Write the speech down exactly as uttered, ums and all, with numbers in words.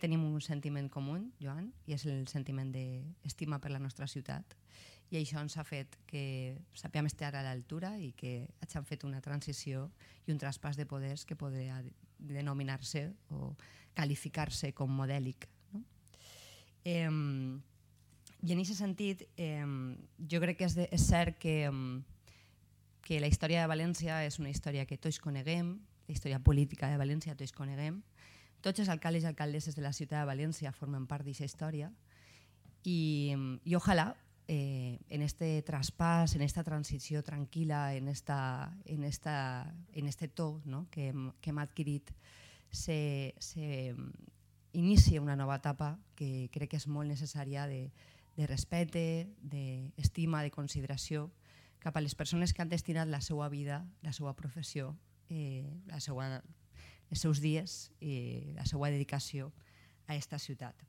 tenim un sentiment comú, Joan, i és el sentiment d'estima per la nostra ciutat, i això ens ha fet que sapiguem estar a l'altura i que hagin fet una transició i un traspàs de poders que podria denominar-se o qualificar-se com modèlic. No? Eh, I en aquest sentit, eh, jo crec que és, de, és cert que, que la història de València és una història que tots coneguem, la història política de València tots coneguem, tots els alcaldes i alcaldesses de la ciutat de València formen part d'aquesta història i, i ojalà eh, en este traspàs, en esta transició tranquil·la, en, esta, en, esta, en este to, no? que, hem, que hem adquirit, se, se inicia una nova etapa que crec que és molt necessària de, de respecte, d'estima, de consideració cap a les persones que han destinat la seva vida, la seva professió, eh, la seva els seus dies i la seva dedicació a aquesta ciutat.